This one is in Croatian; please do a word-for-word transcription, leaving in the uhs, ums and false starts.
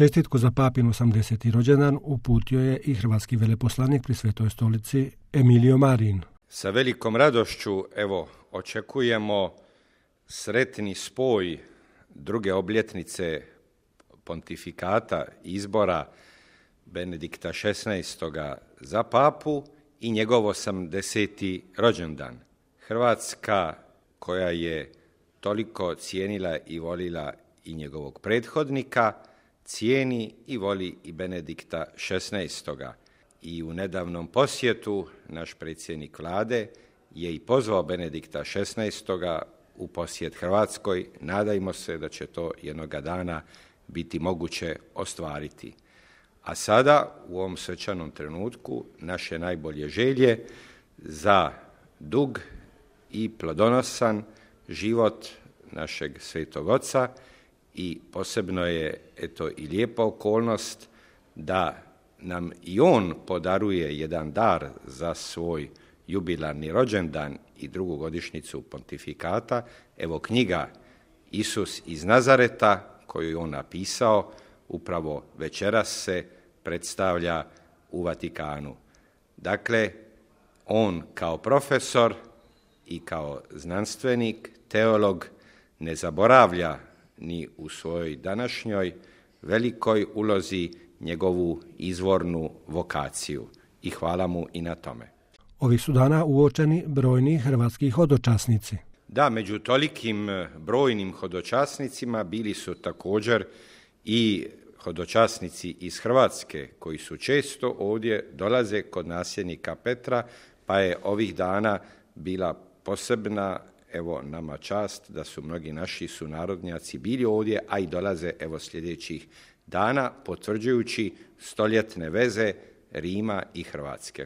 Čestitku za papin osamdeseti rođendan uputio je i hrvatski veleposlanik pri Svetoj stolici Emilio Marin. Sa velikom radošću evo očekujemo sretni spoj druge obljetnice pontifikata izbora Benedikta šesnaestog za papu i njegov osamdeseti rođendan. Hrvatska, koja je toliko cijenila i volila i njegovog prethodnika, cijeni i voli i Benedikta šesnaestog. I u nedavnom posjetu naš predsjednik vlade je i pozvao Benedikta šesnaestog u posjet Hrvatskoj. Nadajmo se da će to jednoga dana biti moguće ostvariti. A sada, u ovom svečanom trenutku, naše najbolje želje za dug i plodonosan život našeg Svetog Oca i posebno je eto i lijepa okolnost da nam i on podaruje jedan dar za svoj jubilarni rođendan i drugu godišnjicu pontifikata. Evo knjiga Isus iz Nazareta, koju je on napisao, upravo večeras se predstavlja u Vatikanu. Dakle, on kao profesor i kao znanstvenik, teolog, ne zaboravlja ni u svojoj današnjoj velikoj ulozi njegovu izvornu vokaciju i hvala mu i na tome. Ovih su dana uočeni brojni hrvatski hodočasnici. Da, među tolikim brojnim hodočasnicima bili su također i hodočasnici iz Hrvatske koji su često ovdje dolaze kod nasljednika Petra, pa je ovih dana bila posebna evo nama čast da su mnogi naši sunarodnjaci bili ovdje, a i dolaze evo sljedećih dana potvrđujući stoljetne veze Rima i Hrvatske.